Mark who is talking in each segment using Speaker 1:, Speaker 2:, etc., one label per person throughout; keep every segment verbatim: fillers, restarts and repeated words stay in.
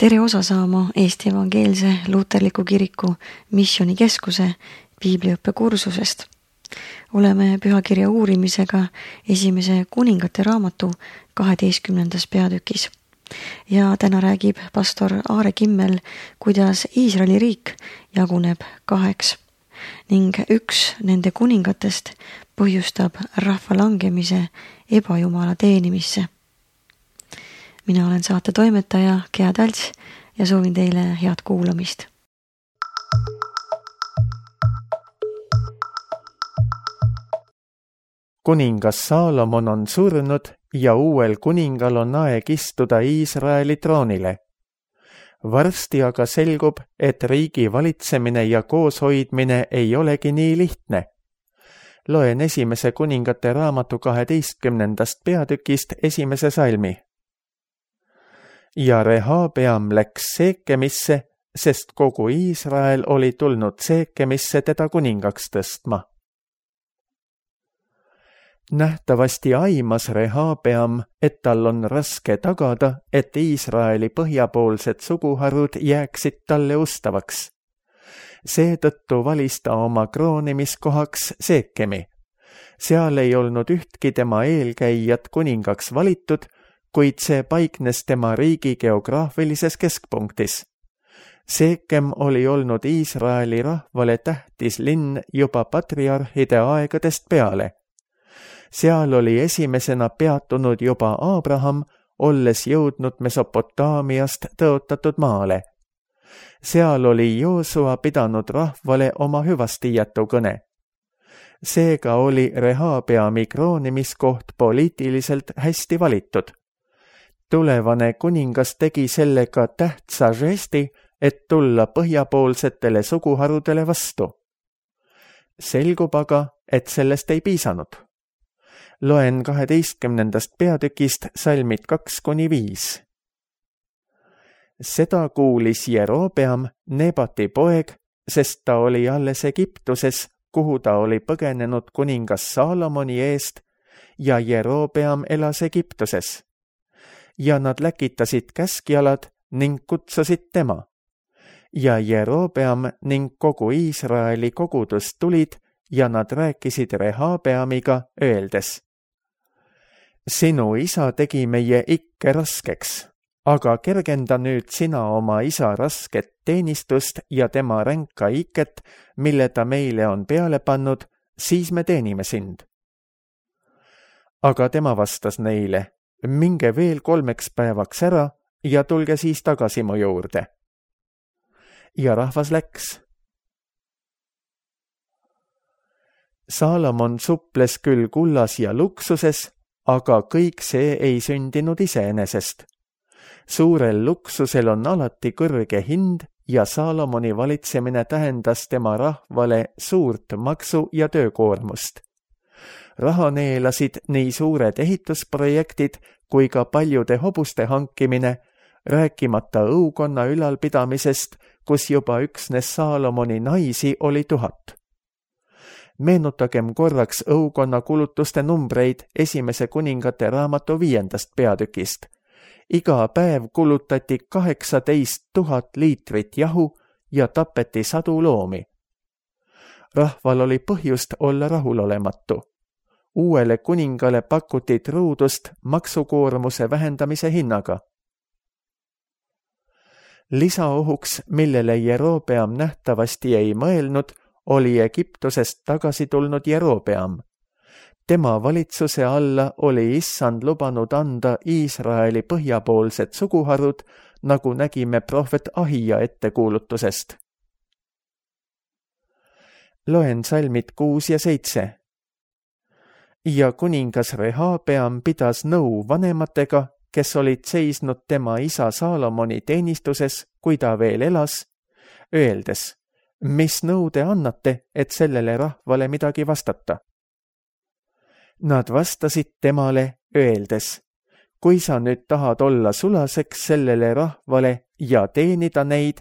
Speaker 1: Tere osa saama Eesti Evangeelse Luterliku Kiriku missioonikeskuse piibliõppe kursusest. Oleme pühakirja uurimisega esimese kuningate raamatu kaheteistkümnendas peatükis. Ja täna räägib pastor Aare Kimmel, kuidas Iisraeli riik jaguneb kaheks ning üks nende kuningatest põhjustab rahva langemise ebajumala teenimisse. Mina olen saate toimetaja Gea Talts ja soovin teile head kuulamist.
Speaker 2: Kuningas Saalomon on surnud ja uuel kuningal on aeg istuda Iisraeli troonile. Varsti aga selgub, et riigi valitsemine ja kooshoidmine ei olegi nii lihtne. Loen esimese kuningate raamatu kaheteistkümnendast peatükist esimese salmi. Ja Rehabeam läks Seekemisse, sest kogu Iisrael oli tulnud Seekemisse teda kuningaks tõstma. Nähtavasti aimas Rehabeam, et tal on raske tagada, et Iisraeli põhjapoolsed suguharud jääksid talle ustavaks. Seetõttu valis ta oma kroonimiskohaks Seekemi. Seal ei olnud ühtki tema eelkäijat kuningaks valitud, kuid see paiknes tema riigi geograafilises keskpunktis. Seekem oli olnud Iisraeli rahvale tähtis linn juba patriarhide aegadest peale. Seal oli esimesena peatunud juba Abraham, olles jõudnud Mesopotaamiast tõotatud maale. Seal oli Joosua pidanud rahvale oma hüvastijätu kõne. Seega oli Rehabeami kroonimiskoht poliitiliselt hästi valitud. Tulevane kuningas tegi sellega tähtsa žesti, et tulla põhjapoolsetele suguharudele vastu. Selgub aga, et sellest ei piisanud. Loen kaheteistkümnendast peatükist salmid kaks kuni viis. Seda kuulis Jerobeam, Nebati poeg, sest ta oli alles Egiptuses, kuhu ta oli põgenenud kuningas Saalomoni eest, ja Jerobeam elas Egiptuses. Ja nad läkitasid käskjalad ning kutsusid tema. Ja Jerobeam ning kogu Iisraeli kogudus tulid ja nad rääkisid Rehabeamiga öeldes. Sinu isa tegi meie ikke raskeks, aga kergenda nüüd sina oma isa rasket teenistust ja tema ränka iket, mille ta meile on peale pannud, siis me teenime sind. Aga tema vastas neile, minge veel kolmeks päevaks ära ja tulge siis tagasi mu juurde. Ja rahvas läks. Saalomon suples küll kullas ja luksuses, aga kõik see ei sündinud iseenesest. Suurel luksusel on alati kõrge hind ja Saalomoni valitsemine tähendas tema rahvale suurt maksu- ja töökoormust. Raha neelasid nii suured ehitusprojektid kui ka paljude hobuste hankimine, rääkimata õukonna ülalpidamisest, kus juba üksnes Saalomoni naisi oli tuhat. Meenutagem korraks õukonna kulutuste numbreid esimese kuningate raamatu viiendast peatükist. Iga päev kulutati kaheksateist tuhat liitrit jahu ja tapeti sadu loomi. Rahval oli põhjust olla rahulolematu. Uuele kuningale pakuti truudust maksukoormuse vähendamise hinnaga. Lisaohuks, millele Jerobeam nähtavasti ei mõelnud, oli Egiptusest tagasi tulnud Jerobeam. Tema valitsuse alla oli issand lubanud anda Iisraeli põhjapoolsed suguharud, nagu nägime prohvet Ahija ettekuulutusest. Loen salmid kuus ja seitse. Ja kuningas Rehabeam pidas nõu vanematega, kes olid seisnud tema isa Saalomoni teenistuses, kui ta veel elas, öeldes, mis nõu te annate, et sellele rahvale midagi vastata? Nad vastasid temale, öeldes, kui sa nüüd tahad olla sulaseks sellele rahvale ja teenida neid,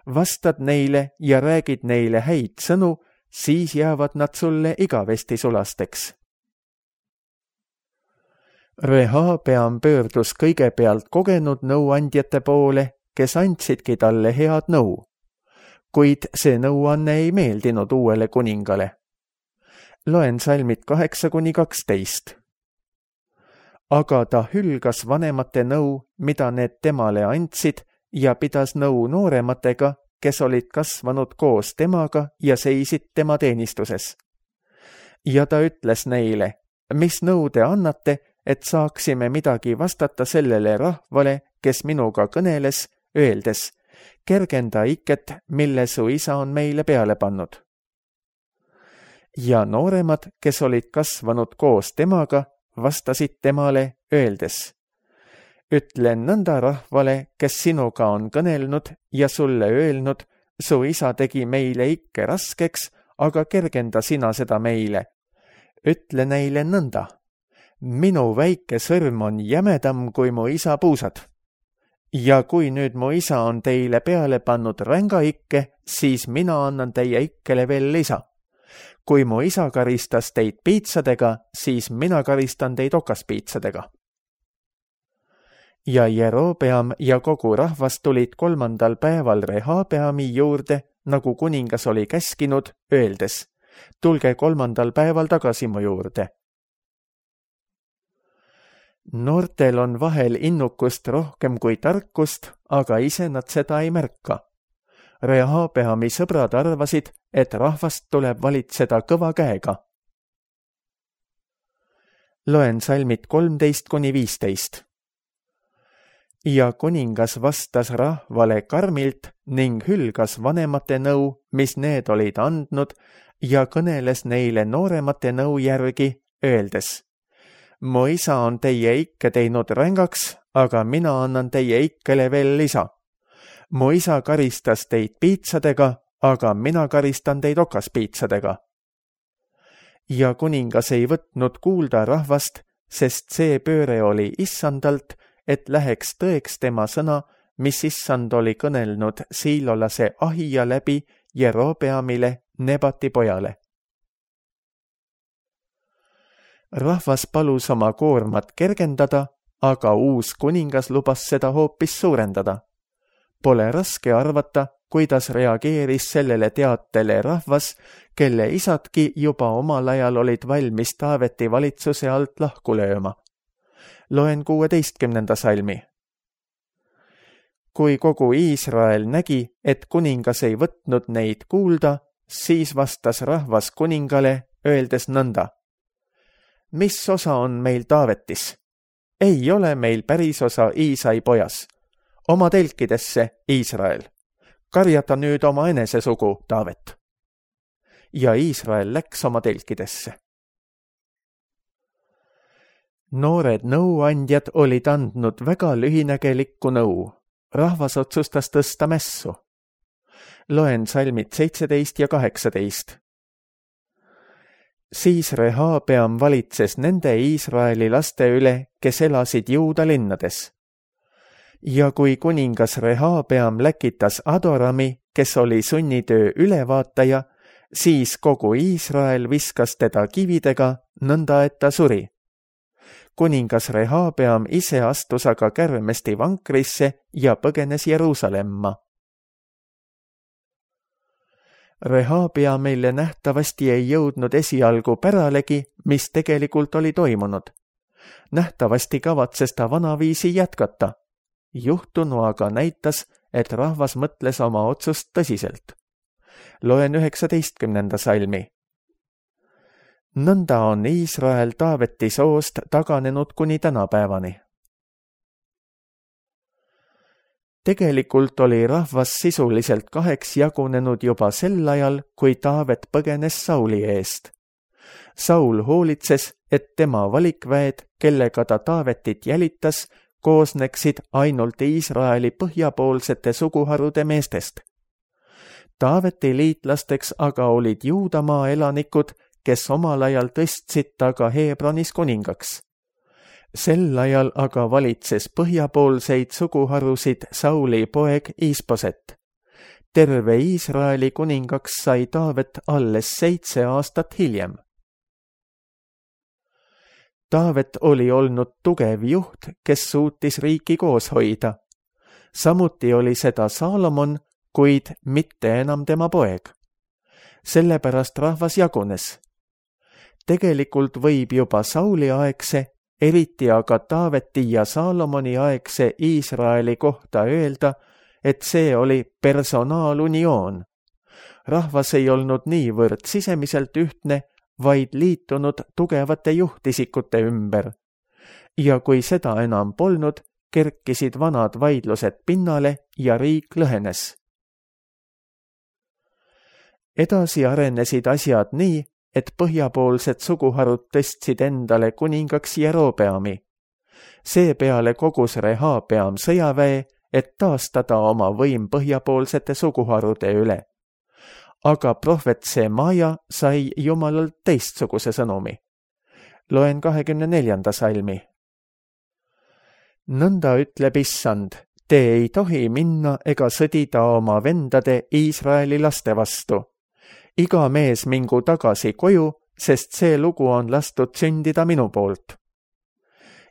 Speaker 2: vastad neile ja räägid neile häid sõnu, siis jäävad nad sulle igavesti sulasteks. Rehabeam pöördus kõigepealt kogenud nõuandjate poole kes andsidki talle head nõu. Kuid see nõuanne ei meeldinud uuele kuningale. Loen salmid kaheksa kuni kaksteist. Aga ta hülgas vanemate nõu, mida need temale andsid, ja pidas nõu noorematega, kes olid kasvanud koos temaga ja seisid tema teenistuses. Ja ta ütles neile, mis nõu te annate, et saaksime midagi vastata sellele rahvale, kes minuga kõneles, öeldes, kergenda iket, mille su isa on meile peale pannud. Ja nooremad, kes olid kasvanud koos temaga, vastasid temale, öeldes, ütlen nõnda rahvale, kes sinuga on kõnelnud ja sulle öelnud, su isa tegi meile ikke raskeks, aga kergenda sina seda meile. Ütle neile nõnda, minu väike sõrm on jämedam kui mu isa puusad. Ja kui nüüd mu isa on teile peale pannud ränga ikke, siis mina annan teie ikkele veel lisa. Kui mu isa karistas teid piitsadega, siis mina karistan teid okaspiitsadega. Ja Jerobeam ja kogu rahvas tulid kolmandal päeval Rehabeami juurde, nagu kuningas oli käskinud, öeldes, tulge kolmandal päeval tagasi mu juurde. Noortel on vahel innukust rohkem kui tarkust, aga ise nad seda ei märka. Rehabeami sõbrad arvasid, et rahvast tuleb valitseda kõva käega. Loen salmid kolmteist kuni viisteist. Ja kuningas vastas rahvale karmilt ning hülgas vanemate nõu, mis need olid andnud, ja kõneles neile nooremate nõu järgi, öeldes, mu isa on teie ikke teinud rängaks, aga mina annan teie ikkele veel lisa. Mu isa karistas teid piitsadega, aga mina karistan teid okaspiitsadega. Ja kuningas ei võtnud kuulda rahvast, sest see pööre oli issandalt, et läheks tõeks tema sõna, mis issand oli kõnelnud siilolase Ahija läbi Jerobeamile, Nebati pojale. Rahvas palus oma koormat kergendada, aga uus kuningas lubas seda hoopis suurendada. Pole raske arvata, kuidas reageeris sellele teatele rahvas, kelle isadki juba omal ajal olid valmis Taaveti valitsuse alt lahku lööma. Loen kuueteistkümnenda salmi. Kui kogu Iisrael nägi, et kuningas ei võtnud neid kuulda, siis vastas rahvas kuningale, öeldes nõnda. Mis osa on meil Taavetis? Ei ole meil päris osa Iisai pojas. Oma telkidesse, Iisrael. Karjata nüüd oma enese sugu, Taavet. Ja Iisrael läks oma telkidesse. Noored nõuandjad olid andnud väga lühinägelikku nõu. Rahvas otsustas tõsta mässu. Loen salmid seitseteist ja kaheksateist. Siis Rehabeam valitses nende Iisraeli laste üle, kes elasid Juuda linnades. Ja kui kuningas Rehabeam läkitas Adorami, kes oli sunnitöö ülevaataja, siis kogu Iisrael viskas teda kividega, nõnda et ta suri. Kuningas Rehabeam ise astus aga kärmesti vankrisse ja põgenes Jeruusalemma. Rehabeamile nähtavasti ei jõudnud esialgu päralegi, mis tegelikult oli toimunud. Nähtavasti kavatses ta vanaviisi jätkata. Juhtunu aga näitas, et rahvas mõtles oma otsust tõsiselt. Loen üheksateistkümnenda salmi. Nõnda on Iisrael Taaveti soost taganenud kuni tänapäevani. Tegelikult oli rahvas sisuliselt kaheks jagunenud juba sel ajal, kui Taavet põgenes Sauli eest. Saul hoolitses, et tema valikväed, kellega ta Taavetit jälitas, koosneksid ainult Iisraeli põhjapoolsete suguharude meestest. Taaveti liitlasteks aga olid Juudamaa elanikud, kes omal ajal tõstsid taga Hebronis kuningaks. Sel ajal aga valitses põhjapoolseid suguharusid Sauli poeg Isboset. Terve Iisraeli kuningaks sai Taavet alles seitse aastat hiljem. Taavet oli olnud tugev juht, kes suutis riiki koos hoida. samuti oli seda Saalomon, kuid mitte enam tema poeg. Sellepärast rahvas jagunes. Tegelikult võib juba Sauli aegse, eriti aga Taaveti ja Saalomoni aegse Iisraeli kohta öelda, et see oli personaalunioon. Rahvas ei olnud niivõrd sisemiselt ühtne, vaid liitunud tugevate juhtisikute ümber. Ja kui seda enam polnud, kerkisid vanad vaidlused pinnale ja riik lõhenes. Edasi arenesid asjad nii, et põhjapoolsed suguharud tõstsid endale kuningaks Jerobeami. Seepeale kogus Rehabeam sõjaväe, et taastada oma võim põhjapoolsete suguharude üle. Aga prohvet Semaja sai Jumalalt teistsuguse sõnumi. Loen kahekümne neljanda salmi. Nõnda ütleb Issand, te ei tohi minna ega sõdida oma vendade Iisraeli laste vastu. Iga mees mingu tagasi koju, sest see lugu on lastud sündida minu poolt.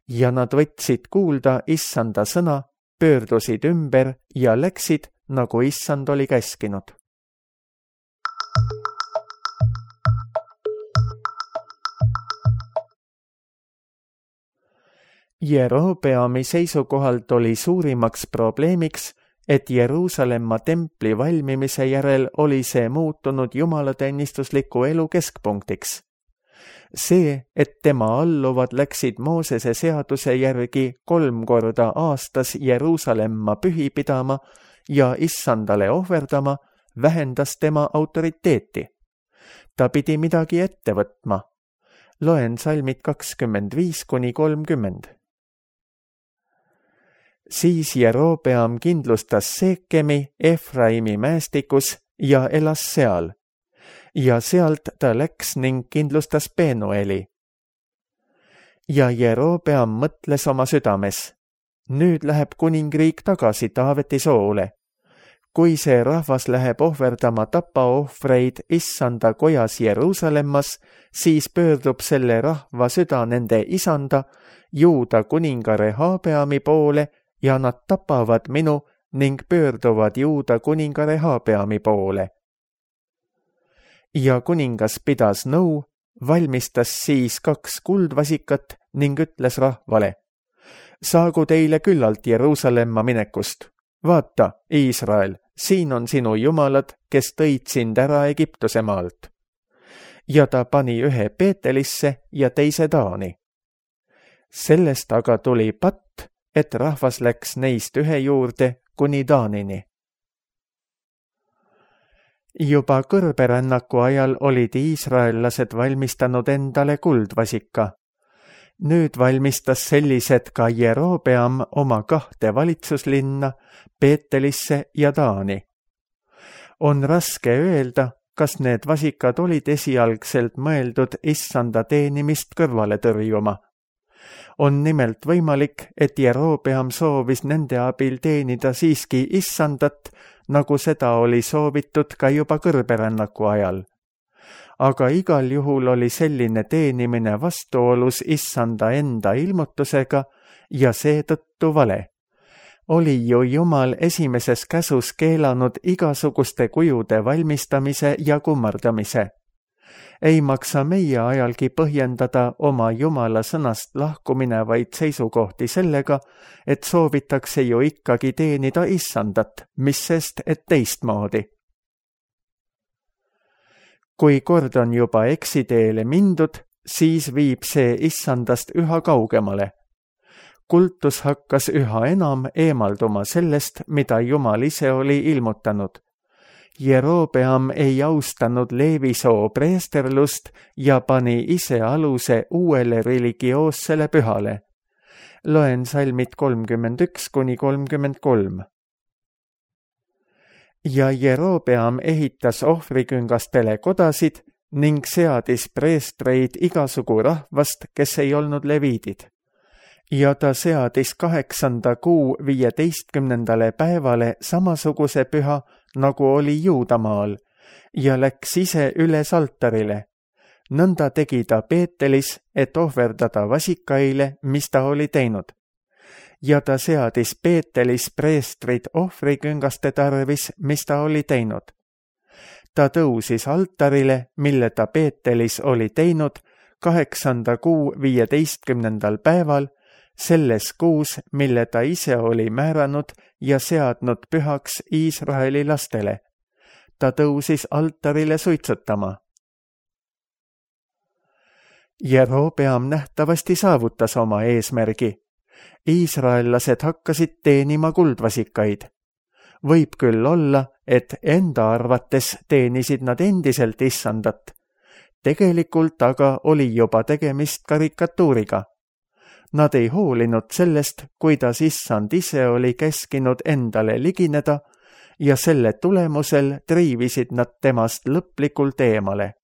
Speaker 2: Ja nad võtsid kuulda Issanda sõna, pöördusid ümber ja läksid, nagu Issand oli käskinud. Jerobeami seisukohalt oli suurimaks probleemiks, et Jeruusalemma templi valmimise järel oli see muutunud jumalateenistusliku elu keskpunktiks. See, et tema alluvad läksid Moosese seaduse järgi kolm korda aastas Jeruusalemma pühi pidama ja Issandale ohverdama, vähendas tema autoriteeti. Ta pidi midagi ette võtma. Loen salmid kakskümmend viis kuni kolmkümmend. Siis Jerobeam kindlustas Seekemi Efraimi mäestikus ja elas seal. Ja sealt ta läks ning kindlustas Penueli. Ja Jerobeam mõtles oma südames. Nüüd läheb kuningriik tagasi Taaveti soole. Kui see rahvas läheb ohverdama tapaohvreid Issanda kojas Jeruusalemmas, siis pöördub selle rahva süda nende isanda, Juuda kuninga Rehabeami poole, ja nad tapavad minu ning pöörduvad Juuda kuninga Rehabeami poole. Ja kuningas pidas nõu, valmistas siis kaks kuldvasikat ning ütles rahvale, saagu teile küllalt Jeruusalemma minekust. Vaata, Iisrael, siin on sinu jumalad, kes tõid sind ära Egiptuse maalt. Ja ta pani ühe Peetelisse ja teise Taani. Sellest aga tuli patt, et rahvas läks neist ühe juurde kuni Taanini. Juba kõrberännaku ajal olid iisraellased valmistanud endale kuldvasika. Nüüd valmistas sellised ka Jerobeam oma kahte valitsuslinna, Peetelisse ja Taani. On raske öelda, kas need vasikad olid esialgselt mõeldud Issanda teenimist kõrvale tõrjuma. On nimelt võimalik, et Jerobeam soovis nende abil teenida siiski Issandat, nagu seda oli soovitud ka juba kõrberännaku ajal. Aga igal juhul oli selline teenimine vastuolus Issanda enda ilmutusega ja seetõttu vale. Oli ju Jumal esimeses käsus keelanud igasuguste kujude valmistamise ja kummardamise. Ei maksa meie ajalgi põhjendada oma Jumala sõnast lahkuminevaid seisukohti sellega, et soovitakse ju ikkagi teenida Issandat, mis sest, et teistmoodi. Kui kord on juba eksiteele mindud, siis viib see Issandast üha kaugemale. Kultus hakkas üha enam eemalduma sellest, mida Jumal ise oli ilmutanud. Jerobeam ei austanud Leevisoo preesterlust ja pani ise aluse uuele religioossele pühale. Loen salmid kolmkümmend üks kuni kolmkümmend kolm. Ja Jerobeam ehitas ohvriküngastele kodasid ning seadis preestreid igasugu rahvast, kes ei olnud leviidid. Ja ta seadis kaheksanda kuu viieteistkümnendale päevale samasuguse püha, nagu oli Juudamaal, ja läks ise üles altarile. Nõnda tegi ta Peetelis, et ohverdada vasikaile, mis ta oli teinud. ja ta seadis Peetelis preestrid ohvriküngaste tarvis, mis ta oli teinud. Ta tõusis altarile, mille ta Peetelis oli teinud, kaheksanda kuu viieteistkümnendal päeval, selles kuus, mille ta ise oli määranud ja seadnud pühaks Iisraeli lastele. Ta tõusis altarile suitsutama. Jerobeam nähtavasti saavutas oma eesmärgi. Iisraellased hakkasid teenima kuldvasikaid. Võib küll olla, et enda arvates teenisid nad endiselt issandat. Tegelikult aga oli juba tegemist karikatuuriga. Nad ei hoolinud sellest, kuidas issand ise oli käskinud endale ligineda ja selle tulemusel triivisid nad temast lõplikult eemale.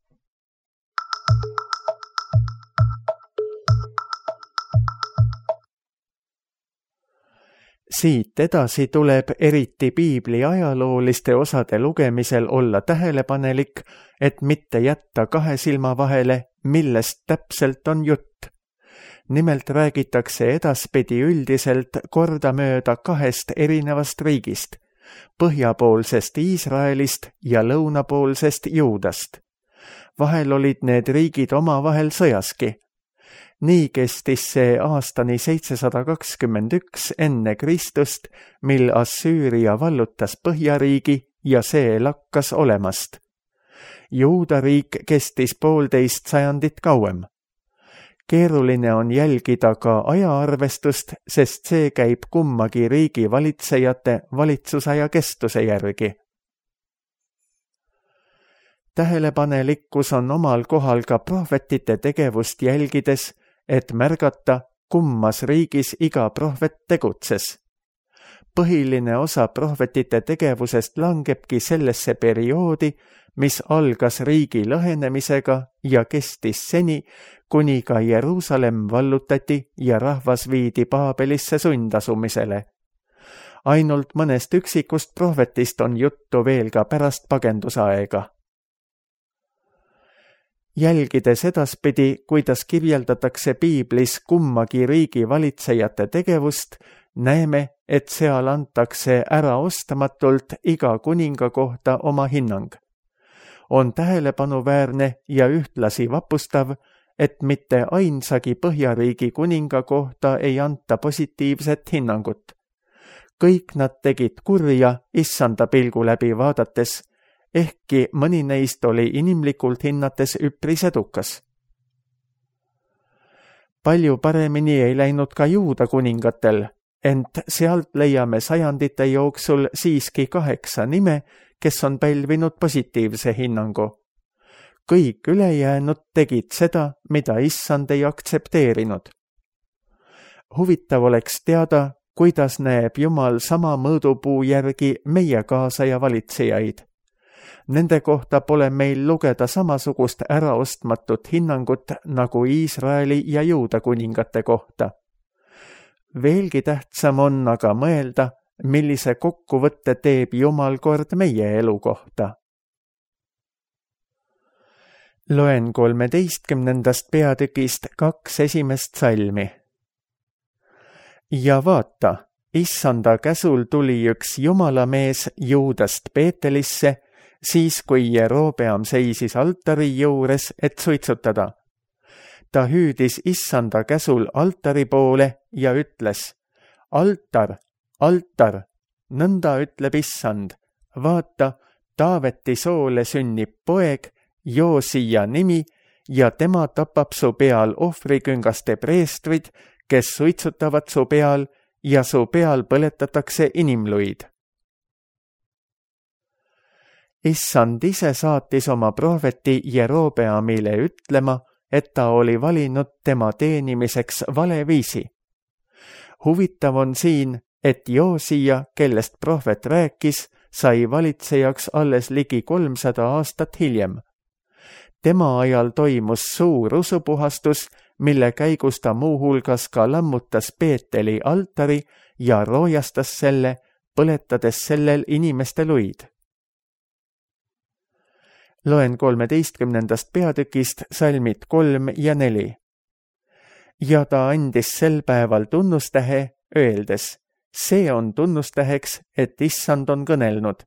Speaker 2: Siit edasi tuleb eriti piibli ajalooliste osade lugemisel olla tähelepanelik, et mitte jätta kahe silma vahele, millest täpselt on jutt. Nimelt räägitakse edaspidi üldiselt kordamööda kahest erinevast riigist, põhjapoolsest Iisraelist ja lõunapoolsest Juudast. Vahel olid need riigid omavahel sõjaski. Nii kestis see aastani seitsesada kakskümmend üks enne Kristust, mil Assüüria vallutas Põhjariigi ja see lakkas olemast. Juuda riik kestis poolteist sajandit kauem. Keeruline on jälgida ka ajaarvestust, sest see käib kummagi riigi valitsejate valitsusaja kestuse järgi. Tähelepanelikkus on omal kohal ka prohvetite tegevust jälgides, et märgata, kummas riigis iga prohvet tegutses. Põhiline osa prohvetite tegevusest langebki sellesse perioodi, mis algas riigi lõhenemisega ja kestis seni, kuni ka Jeruusalemm vallutati ja rahvas viidi Paabelisse sundasumisele. Ainult mõnest üksikust prohvetist on juttu veel ka pärast pagendusaega. Jälgides edaspidi, kuidas kirjeldatakse piiblis kummagi riigi valitsejate tegevust, näeme, et seal antakse äraostamatult iga kuninga kohta oma hinnang. On tähelepanuväärne ja ühtlasi vapustav, et mitte ainsagi Põhjariigi kuninga kohta ei anta positiivset hinnangut. Kõik nad tegid kurja issanda pilgu läbi vaadates, ehkki mõni neist oli inimlikult hinnates üpris edukas. Palju paremini ei läinud ka Juuda kuningatel, ent sealt leiame sajandite jooksul siiski kaheksa nime, kes on pälvinud positiivse hinnangu. Kõik ülejäänud tegid seda, mida issand ei aktsepteerinud. Huvitav oleks teada, kuidas näeb Jumal sama mõõdupuu järgi meie kaasaja valitsejaid. Nende kohta pole meil lugeda samasugust äraostmatut hinnangut nagu Iisraeli ja Juuda kuningate kohta. Veelgi tähtsam on aga mõelda, millise kokkuvõtte teeb Jumal kord meie elu kohta. Loen kolmeteistkümnendast peatükist kaks esimest salmi. Ja vaata, issanda käsul tuli üks jumalamees Juudast Peetelisse, siis kui Jerobeam seisis altari juures, et suitsutada. Ta hüüdis issanda käsul altari poole ja ütles, altar, altar, nõnda ütleb issand, vaata, Taaveti soole sünnib poeg, Joosia nimi, ja tema tapab su peal ohvriküngaste preestrid, kes suitsutavad su peal ja su peal põletatakse inimluid. Issand ise saatis oma prohveti Jerobeamile ütlema, et ta oli valinud tema teenimiseks vale viisi. Huvitav on siin, et Joosia, kellest prohvet rääkis, sai valitsejaks alles ligi kolmsada aastat hiljem. Tema ajal toimus suur usupuhastus, mille käigus ta muuhulgas ka lammutas Peeteli altari ja roojastas selle, põletades sellel inimeste luid. Loen kolmeteistkümnendast peatükist salmid kolm ja neli. Ja ta andis sel päeval tunnustähe öeldes, see on tunnustäheks, et issand on kõnelnud.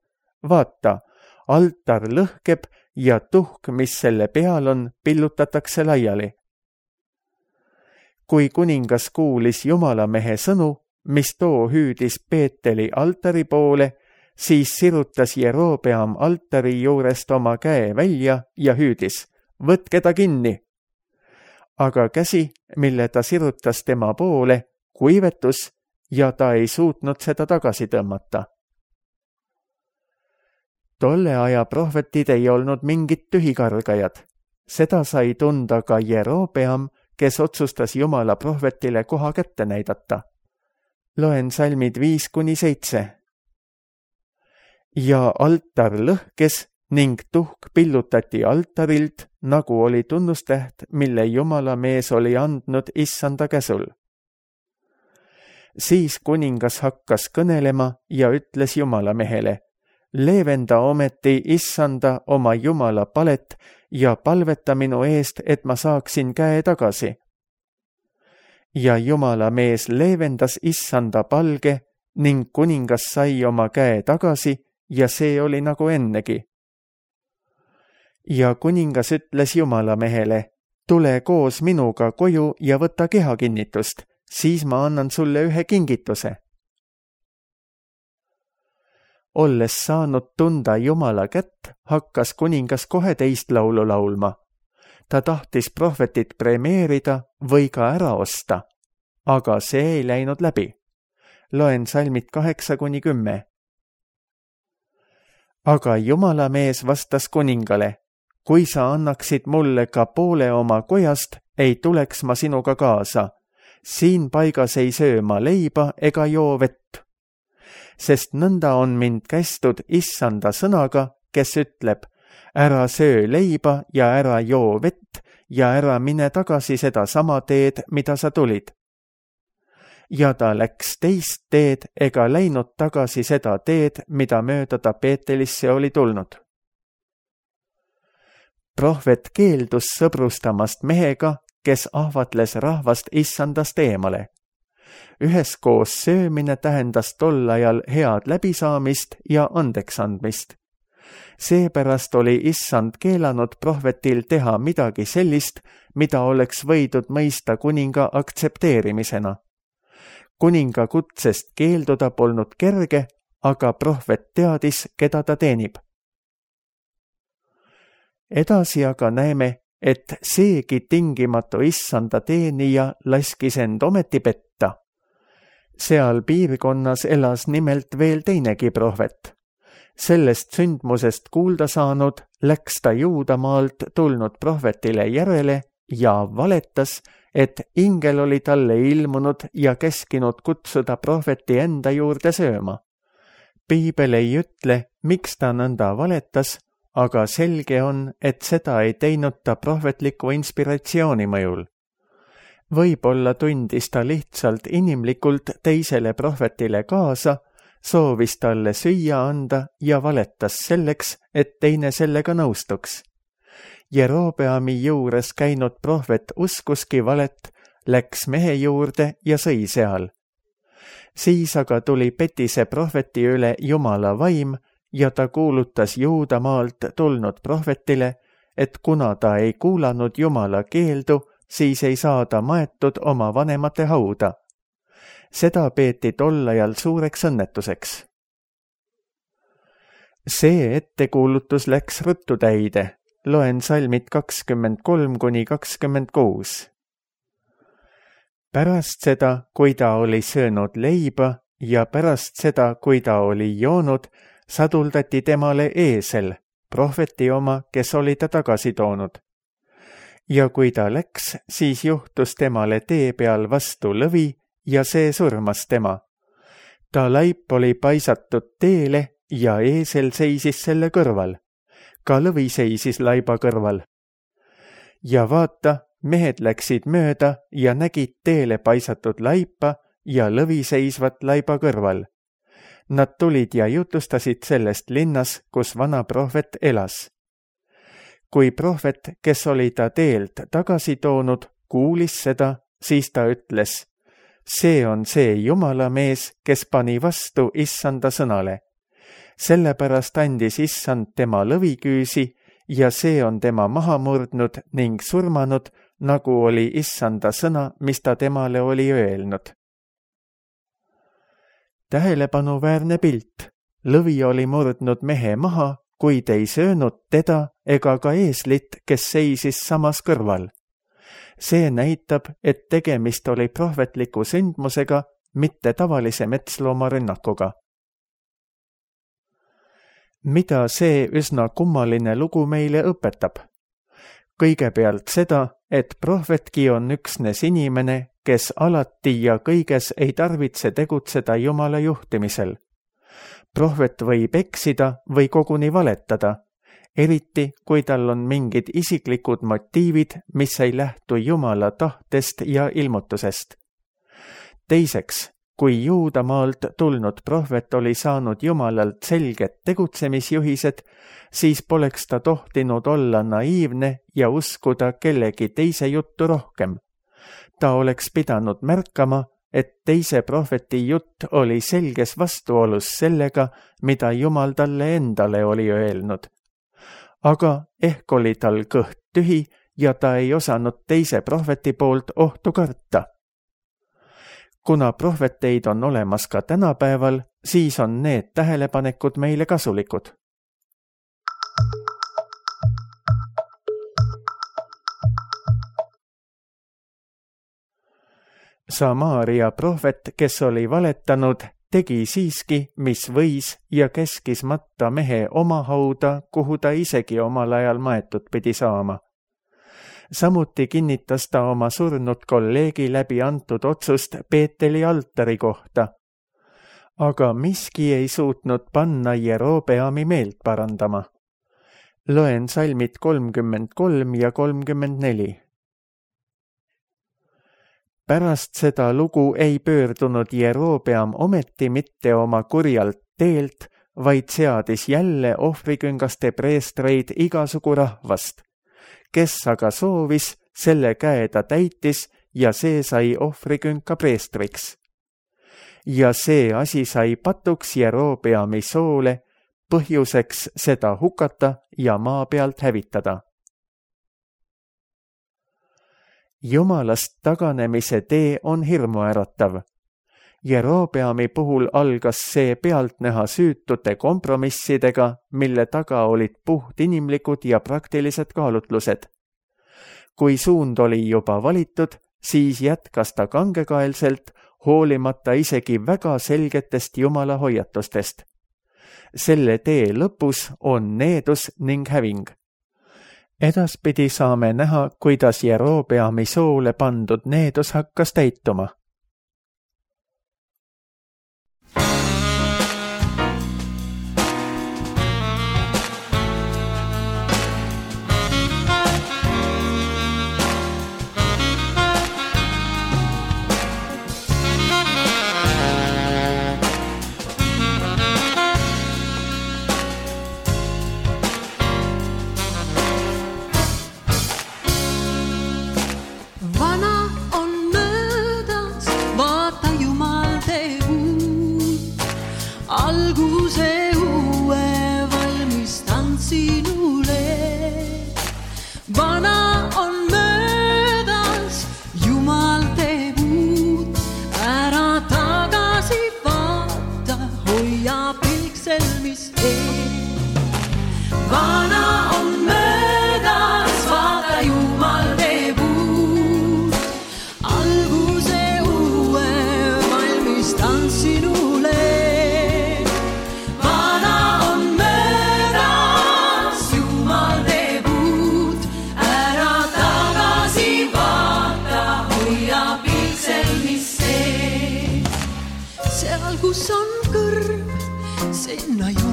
Speaker 2: Vaata, altar lõhkeb ja tuhk, mis selle peal on, pillutatakse laiali. Kui kuningas kuulis Jumalamehe sõnu, mis too hüüdis Peeteli altari poole, siis sirutas Jerobeam altari juurest oma käe välja ja hüüdis, võtke ta kinni. Aga käsi, mille ta sirutas tema poole, kuivetus ja ta ei suutnud seda tagasi tõmmata. Tolle aja prohvetid ei olnud mingid tühikargajad. Seda sai tunda ka Jerobeam, kes otsustas Jumala prohvetile koha kätte näidata. Loen salmid viis kuni seitse. Ja altar lõhkes ning tuhk pillutati altarilt, nagu oli tunnustäht, mille Jumala mees oli andnud issanda käsul. Siis kuningas hakkas kõnelema ja ütles Jumala mehele, leevenda ometi issanda oma Jumala palet ja palveta minu eest, et ma saaksin käe tagasi. Ja Jumala mees leevendas issanda palge ning kuningas sai oma käe tagasi ja see oli nagu ennegi. Ja kuningas ütles Jumala mehele, tule koos minuga koju ja võta kehakinnitust, siis ma annan sulle ühe kingituse. Olles saanud tunda Jumala kätt, hakkas kuningas kohe teist laulu laulma. Ta tahtis prohvetit premeerida või ka ära osta, aga see ei läinud läbi. Loen salmid kaheksa kuni kümme. Aga Jumala mees vastas kuningale, kui sa annaksid mulle ka poole oma kojast, ei tuleks ma sinuga kaasa. Siin paigas ei söö ma leiba ega joo vett. Sest nõnda on mind kästud issanda sõnaga, kes ütleb, ära söö leiba ja ära joo vett ja ära mine tagasi seda sama teed, mida sa tulid. Ja ta läks teist teed ega läinud tagasi seda teed, mida mööda ta Peetelisse oli tulnud. Prohvet keeldus sõbrustamast mehega, kes ahvatles rahvast issandast eemale. Üheskoos söömine tähendas tol ajal head läbisaamist ja andeksandmist. Seepärast oli issand keelanud prohvetil teha midagi sellist, mida oleks võidud mõista kuninga aktsepteerimisena. Kuninga kutsest keelduda polnud kerge, aga prohvet teadis, keda ta teenib. Edasi aga näeme, et seegi tingimatu issanda teenija laskis end ometi petta. Seal piirkonnas elas nimelt veel teinegi prohvet. Sellest sündmusest kuulda saanud läks ta Juudamaalt tulnud prohvetile järele ja valetas, et ingel oli talle ilmunud ja käskinud kutsuda prohveti enda juurde sööma. Piibel ei ütle, miks ta nõnda valetas, aga selge on, et seda ei teinud ta prohvetliku inspiratsiooni mõjul. Võib-olla tundis ta lihtsalt inimlikult teisele prohvetile kaasa, soovis talle süüa anda ja valetas selleks, et teine sellega nõustuks. Jerobeami juures käinud prohvet uskuski valet, läks mehe juurde ja sõi seal. Siis aga tuli petise prohveti üle Jumala vaim ja ta kuulutas Juudamaalt tulnud prohvetile, et kuna ta ei kuulanud Jumala keeldu, siis ei saa ta maetud oma vanemate hauda. Seda peeti tol ajal suureks õnnetuseks. See ettekuulutus läks ruttu täide. Loen salmid kakskümmend kolm kuni kakskümmend kuus. Pärast seda, kui ta oli söönud leiba ja pärast seda, kui ta oli joonud, saduldati temale eesel, prohveti oma, kes oli ta tagasi toonud. Ja kui ta läks, siis juhtus temale tee peal vastu lõvi ja see surmas tema. Ta laip oli paisatud teele ja eesel seisis selle kõrval. Ka lõvi seisis laiba kõrval. Ja vaata, mehed läksid mööda ja nägid teele paisatud laipa ja lõvi seisvat laiba kõrval. Nad tulid ja jutustasid sellest linnas, kus vana prohvet elas. Kui prohvet, kes oli ta teelt tagasi toonud, kuulis seda, siis ta ütles, See on see Jumala mees, kes pani vastu issanda sõnale. Sellepärast andis issand tema lõviküüsi ja see on tema maha murdnud ning surmanud, nagu oli issanda sõna, mis ta temale oli öelnud. Tähelepanuväärne pilt. Lõvi oli murdnud mehe maha, kuid ei söönud teda ega ka eeslit, kes seisis samas kõrval. See näitab, et tegemist oli prohvetliku sündmusega, mitte tavalise metslooma rünnakuga. Mida see üsna kummaline lugu meile õpetab? Kõigepealt seda, et prohvetki on üksnes inimene, kes alati ja kõiges ei tarvitse tegutseda Jumala juhtimisel. Prohvet võib eksida või koguni valetada, eriti kui tal on mingid isiklikud motiivid, mis ei lähtu Jumala tahtest ja ilmutusest. Teiseks, kui Juudamaalt tulnud prohvet oli saanud Jumalalt selged tegutsemisjuhised, siis poleks ta tohtinud olla naiivne ja uskuda kellegi teise juttu rohkem. Ta oleks pidanud märkama, et teise prohveti jutt oli selges vastuolus sellega, mida Jumal talle endale oli öelnud. Aga ehk oli tal kõht tühi ja ta ei osanud teise prohveti poolt ohtu karta. Kuna prohveteid on olemas ka tänapäeval, siis on need tähelepanekud meile kasulikud. Samaaria prohvet, kes oli valetanud, tegi siiski, mis võis ja keskis matta mehe oma hauda, kuhu ta isegi omal ajal maetud pidi saama. Samuti kinnitas ta oma surnud kolleegi läbi antud otsust Peeteli altari kohta. Aga miski ei suutnud panna Jerobeami meelt parandama. Loen salmid kolmkümmend kolm ja kolmkümmend neli. Pärast seda lugu ei pöördunud Jerobeam ometi mitte oma kurjalt teelt, vaid seadis jälle ohvriküngaste preestreid igasugu rahvast. Kes aga soovis, selle käe ta täitis ja see sai ohvrikünka preestriks. Ja see asi sai patuks Jerobeami soole, põhjuseks seda hukata ja maa pealt hävitada. Jumalast taganemise tee on hirmuäratav. Jerobeami puhul algas see pealtnäha süütute kompromissidega, mille taga olid puht inimlikud ja praktilised kaalutlused. Kui suund oli juba valitud, siis jätkas ta kangekaelselt, hoolimata isegi väga selgetest Jumala hoiatustest. Selle tee lõpus on needus ning häving. Edaspidi saame näha, kuidas Jerobeami soole pandud needus hakkas täituma.
Speaker 3: Kus on kõrv, sinna ju